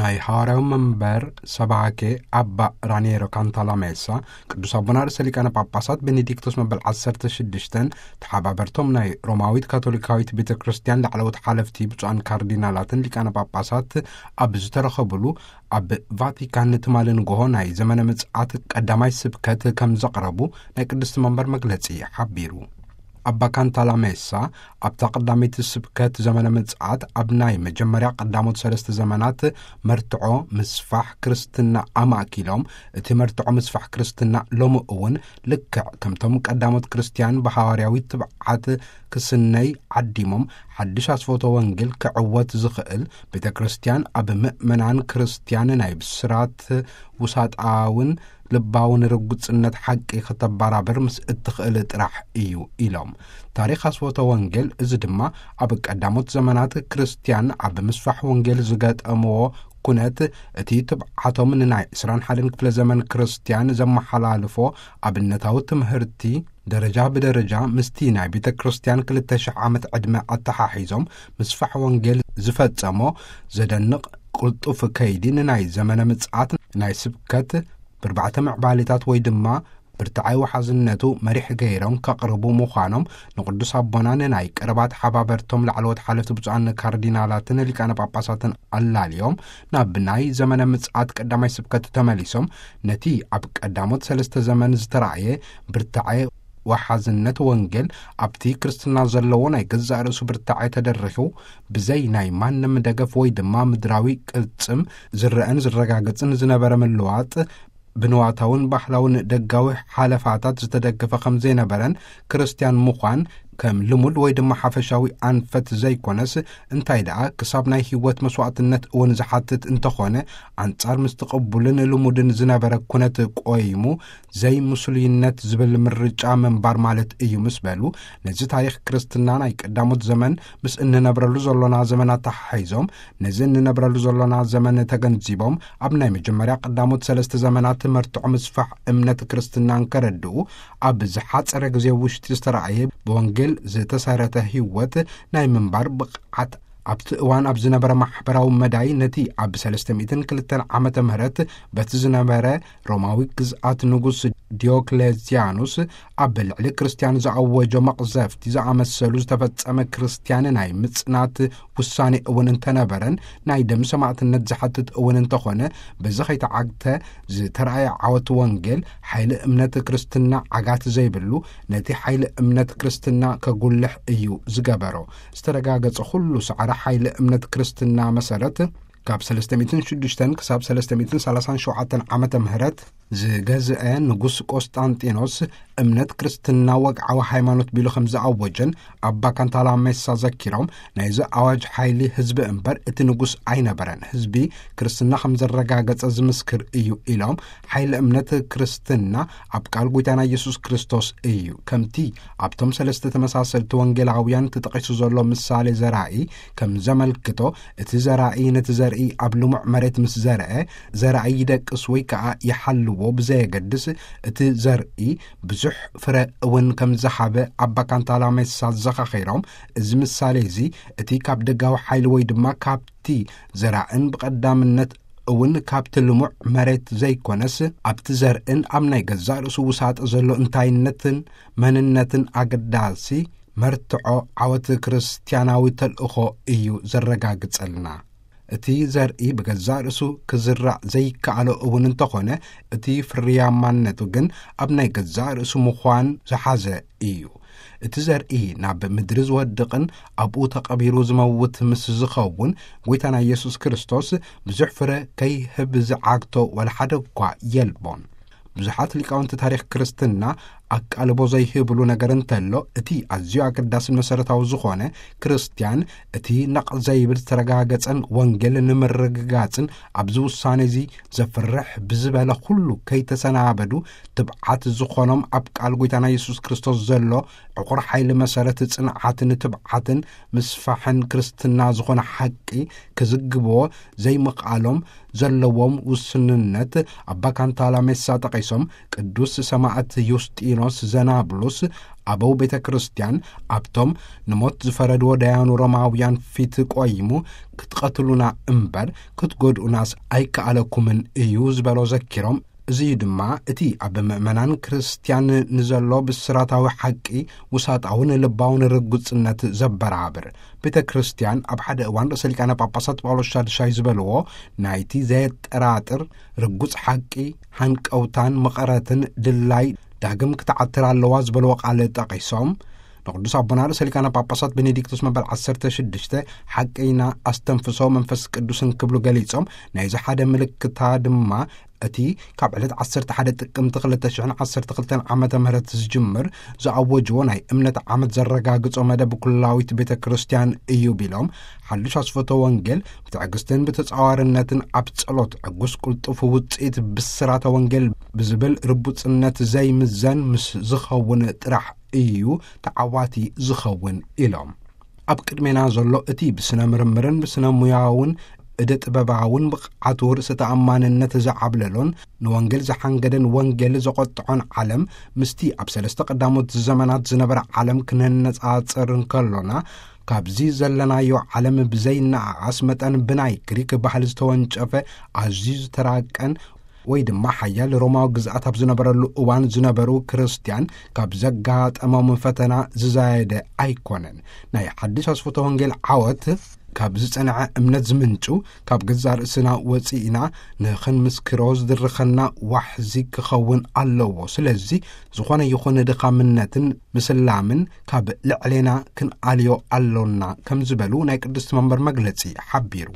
ናይ ሃዋርያዊ መንበር ሰባኬ ኣባ ራኒየሮ ካንታላሜሳ፣ ቅዱስ ኣቦና ርእሰ ሊቃነ ጳጳሳት ቤኔዲክቶስ መበል ዓሰርተ ሽዱሽተን፣ ተሓባበርቶም ናይ ሮማዊት ካቶሊካዊት ቤተ ክርስቲያን ላዕለዎት ሓለፍቲ፣ ብፁዓን ካርዲናላትን ሊቃነ ጳጳሳት ኣብ ዝተረኸቡሉ፣ ኣብ ቫቲካን ትማሊ ንግሆ ናይ ዘመነ ምጽኣት ቀዳማይ ስብከት ከም ዘቕረቡ ናይ ቅድስቲ መንበር መግለጺ ሓቢሩ። ኣባ ካንታላሜሳ ኣብታ ቀዳመይቲ ስብከት ዘመነ ምጽኣት፣ ኣብ ናይ መጀመርያ ቀዳሞት ሰለስተ ዘመናት መርትዖ ምስፋሕ ክርስትና ኣማእኪሎም፣ እቲ መርትዖ ምስፋሕ ክርስትና ሎሚ እውን ልክዕ ከምቶም ቀዳሞት ክርስትያን ብሃዋርያዊ ትብዓት ክስነይ ዓዲሞም፣ ሓድሽ ኣስፎቶ ወንጌል ክዕወት ዝኽእል፣ ቤተ ክርስቲያን ኣብ ምእመናን ክርስትያን ናይ ብስራት ውሳጣውን ልባውን ርጉጽነት ሓቂ ከተበራብር ምስ እትኽእል ጥራሕ እዩ ኢሎም። ታሪኽ ኣስፎተ ወንጌል፣ እዚ ድማ ኣብ ቀዳሞት ዘመናት ክርስትያን ኣብ ምስፋሕ ወንጌል ዝገጠምዎ ኩነት፣ እቲ ትብዓቶም ንናይ ዕስራን ሓደን ክፍለ ዘመን ክርስትያን ዘመሓላልፎ ኣብነታዊ ትምህርቲ፣ ደረጃ ብደረጃ ምስቲ ናይ ቤተ ክርስቲያን ክልተ ሽሕ ዓመት ዕድመ ኣተሓሒዞም ምስፋሕ ወንጌል ዝፈጸሞ ዘደንቕ ቅልጡፍ ከይዲ፣ ንናይ ዘመነ ምጽኣት ናይ ስብከት ብርባዕተ ምዕባሌታት ወይ ድማ ብርትዓይ ወሓዝነቱ መሪሕ ገይሮም ከቕርቡ ምዃኖም፣ ንቅዱስ ኣቦና ንናይ ቀረባ ተሓባበርቶም ላዕለዎት ሓለፍቲ ብፁዓን ካርዲናላትን ሊቃነ ጳጳሳትን ኣላልዮም፣ ናብ ናይ ዘመነ ምጽኣት ቀዳማይ ስብከት ተመሊሶም፣ ነቲ ኣብ ቀዳሞት ሰለስተ ዘመን ዝተራእየ ብርትዓይ ወሓዝነት ወንጌል ኣብቲ ክርስትና ዘለዎ ናይ ገዛእ ርእሱ ብርትዓይ ተደሪኹ፣ ብዘይ ናይ ማንም ደገፍ ወይ ድማ ምድራዊ ቅልጽም ዝረአን ዝረጋገጽን ዝነበረ ምልዋጥ፣ ብንዋታውን ባህላውን ደጋዊ ሓለፋታት ዝተደገፈ ከም ዘይነበረን፣ ክርስትያን ምዃን ከም ልሙድ ወይ ድማ ሓፈሻዊ ኣንፈት ዘይኮነስ፣ እንታይ ደኣ ክሳብ ናይ ህይወት መስዋዕትነት እውን ዝሓትት እንተኾነ፣ ኣንጻር ምስቲ ቅቡልን ልሙድን ዝነበረ ኩነት ቆይሙ፣ ዘይምስሉይነት ዝብል ምርጫ ምንባር ማለት እዩ ምስ በሉ፣ ነዚ ታሪኽ ክርስትና ናይ ቀዳሞት ዘመን ምስ እንነብረሉ ዘሎና ዘመን ኣተሓሒዞም፣ ነዚ እንነብረሉ ዘሎና ዘመን ተገንዚቦም፣ ኣብ ናይ መጀመርያ ቀዳሞት ሰለስተ ዘመናት መርትዖ ምስፋሕ እምነት ክርስትና እንከረድኡ፣ ኣብ ዝሓጸረ ግዜ ውሽጢ ዝተራእየ ብወንጌል ዝተሰረተ ህይወት ናይ ምንባር ብቕዓት፣ ኣብቲ እዋን ኣብ ዝነበረ ማሕበራዊ መዳይ፣ ነቲ ኣብ ሰለስተ ሚእትን ክልተን ዓመተ ምህረት በቲ ዝነበረ ሮማዊ ግዝኣት ንጉስ ዲዮክሌዚያኑስ ኣብ ልዕሊ ክርስትያን ዝኣወጆ መቕዘፍቲ ዝኣመሰሉ ዝተፈጸመ ክርስትያን ናይ ምጽናት ውሳኔ እውን እንተነበረን፣ ናይ ደም ሰማዕትነት ዝሓትት እውን እንተኾነ፣ በዚ ከይተዓግተ ዝተራእየ ዓወት ወንጌል፣ ሓይሊ እምነት ክርስትና ዓጋት ዘይብሉ፣ ነቲ ሓይሊ እምነት ክርስትና ከጉልሕ እዩ ዝገበሮ። ዝተረጋገጸ ኩሉ ሰዕረ ሓይሊ እምነት ክርስትና መሰረት፣ ካብ ሰለስተ ሚእትን ሽዱሽተን ክሳብ ሰለስተ ሚእትን ሰላሳን ሸውዓተን ዓመተ ምህረት ዝገዝአ ንጉስ ቆስጣንጢኖስ፣ እምነት ክርስትና ወግዓዊ ሃይማኖት ቢሉ ከም ዝኣወጀን ኣባ ካንታላሜሳ ዘኪሮም፣ ናይዚ ኣዋጅ ሓይሊ ህዝቢ እምበር እቲ ንጉስ ኣይነበረን፣ ህዝቢ ክርስትና ከም ዘረጋገጸ ዝምስክር እዩ ኢሎም፣ ሓይሊ እምነት ክርስትና ኣብ ቃል ጐይታና ኢየሱስ ክርስቶስ እዩ። ከምቲ ኣብቶም ሰለስተ ተመሳሰልቲ ወንጌላውያን ተጠቒሱ ዘሎ ምሳሌ ዘራኢ ከም ዘመልክቶ፣ እቲ ዘራኢ ነቲ ዘርኢ ኣብ ልሙዕ መሬት ምስ ዘርአ፣ ዘራኢ ይደቅስ ወይ ከኣ ይሓልዎ ብዘየገድስ፣ እቲ ዘርኢ ብዙሕ ፍረ እውን ከም ዝሃበ ኣባ ካንታላሜሳ ዘኻኺሮም፣ እዚ ምሳሌ እዚ እቲ ካብ ደጋዊ ሓይሊ ወይ ድማ ካብቲ ዘራእን ብቐዳምነት እውን ካብቲ ልሙዕ መሬት ዘይኮነስ፣ ኣብቲ ዘርእን ኣብ ናይ ገዛእ ርእሱ ውሳጠ ዘሎ እንታይነትን መንነትን ኣገዳሲ መርትዖ ዓወት ክርስትያናዊ ተልእኾ እዩ ዘረጋግጸልና። እቲ ዘርኢ ብገዛእ ርእሱ ክዝራእ ዘይከኣሎ እውን እንተኾነ፣ እቲ ፍርያማነቱ ግን ኣብ ናይ ገዛእ ርእሱ ምዃን ዝሓዘ እዩ። እቲ ዘርኢ ናብ ምድሪ ዝወድቕን ኣብኡ ተቐቢሩ ዝመውት ምስ ዝኸውን፣ ጐይታና ኢየሱስ ክርስቶስ ብዙሕ ፍረ ከይህብ ዝዓግቶ ዋላ ሓደ እኳ የልቦን። ብዙሓት ሊቃውንቲ ታሪኽ ክርስትና ኣቃልቦ ዘይህብሉ ነገር እንተሎ፣ እቲ ኣዝዩ ኣገዳስን መሰረታዊ ዝኾነ፣ ክርስትያን እቲ ነቕ ዘይብል ዝተረጋገጸን ወንጌል ንምርግጋጽን ኣብዚ ውሳኔ እዚ ዘፍርሕ ብዝበለ ኩሉ ከይተሰናበዱ፣ ትብዓት ዝኾኖም ኣብ ቃል ጐይታና የሱስ ክርስቶስ ዘሎ ዕቑር ሓይሊ መሰረት ጽንዓትን ትብዓትን ምስፋሕን ክርስትና ዝኾነ ሓቂ ክዝግብዎ ዘይምኽኣሎም ዘለዎም ውስንነት ኣባ ካንታላሜሳ ጠቒሶም፣ ቅዱስ ሰማዕት ዩስጢኖ ዘናብሉስ፣ ኣበው ቤተ ክርስቲያን ኣብቶም ንሞት ዝፈረድዎ ደያኑ ሮማውያን ፊት ቆይሙ፣ ክትቐትሉና እምበር ክትጎድኡናስ ኣይከኣለኩምን እዩ ዝበሎ ዘኪሮም፣ እዚ እዩ ድማ እቲ ኣብ ምእመናን ክርስቲያን ንዘሎ ብስራታዊ ሓቂ ውሳጣውን ልባውን ርጉጽነት ዘበራብር። ቤተ ክርስቲያን ኣብ ሓደ እዋን ርእሰ ሊቃነ ጳጳሳት ጳውሎስ ሻድሻይ ዝበልዎ፣ ናይቲ ዘየጠራጥር ርጉጽ ሓቂ፣ ሃንቀውታን መቐረትን ድላይ ዳግም ክትዓትር ኣለዋ ዝበልዎ ቃል ጠቒሶም፣ ንቅዱስ ኣቦና ርእሰ ሊቃነ ጳጳሳት ቤኔዲክቶስ መበል ዓሰርተ ሽዱሽተ ሓቂ ኢና፣ ኣስተንፍሶ መንፈስ ቅዱስን ክብሉ ገሊጾም፣ ናይዚ ሓደ ምልክታ ድማ እቲ ካብ ዕለት ዓሰርተ ሓደ ጥቅምቲ ክልተ ሽሕን ዓሰርተ ክልተን ዓመተ ምህረት ዝጅምር ዝኣወጅዎ ናይ እምነት ዓመት ዘረጋግጾ መደብ ኩላዊት ቤተ ክርስቲያን እዩ ቢሎም፣ ሓድሽ ኣስፈቶ ወንጌል ብትዕግስትን ብተጻዋርነትን ኣብ ጸሎት ዕጉስ ቅልጡፍ ውጽኢት ብስራተ ወንጌል ብዝብል ርቡጽነት ዘይምዘን ምስ ዝኸውን ጥራሕ እዩ ተዓዋቲ ዝኸውን ኢሎም። ኣብ ቅድሜና ዘሎ እቲ ብስነ ምርምርን ብስነ ሙያውን እደ ጥበባውን ብቕዓቱ ርእሰ ተኣማንነት ዝዓብለሎን ንወንጌል ዝሓንገደን ወንጌል ዘቖጥዖን ዓለም ምስቲ ኣብ ሰለስተ ቀዳሞት ዘመናት ዝነበረ ዓለም ክነነጻጽር እንከሎና፣ ካብዚ ዘለናዮ ዓለም ብዘይነኣኣስ መጠን ብናይ ግሪክ ባህሊ ዝተወንጨፈ ኣዝዩ ዝተራቀን ወይ ድማ ሓያል ሮማዊ ግዝኣት ኣብ ዝነበረሉ እዋን ዝነበሩ ክርስትያን ካብ ዘጋጠሞም ፈተና ዝዛየደ ኣይኮነን። ናይ ሓድሽ ኣስፈቶ ወንጌል ዓወት ካብ ዝጸንዐ እምነት ዝምንጩ፣ ካብ ገዛ ርእስና ወጺእና ንኽንምስክሮ ዝድርኸና ዋሕዚ ክኸውን ኣለዎ። ስለዚ ዝኾነ ይኹን ድኻምነትን ምስላምን ካብ ልዕሌና ክንኣልዮ ኣሎና ከም ዝበሉ ናይ ቅድስቲ መንበር መግለጺ ሓቢሩ።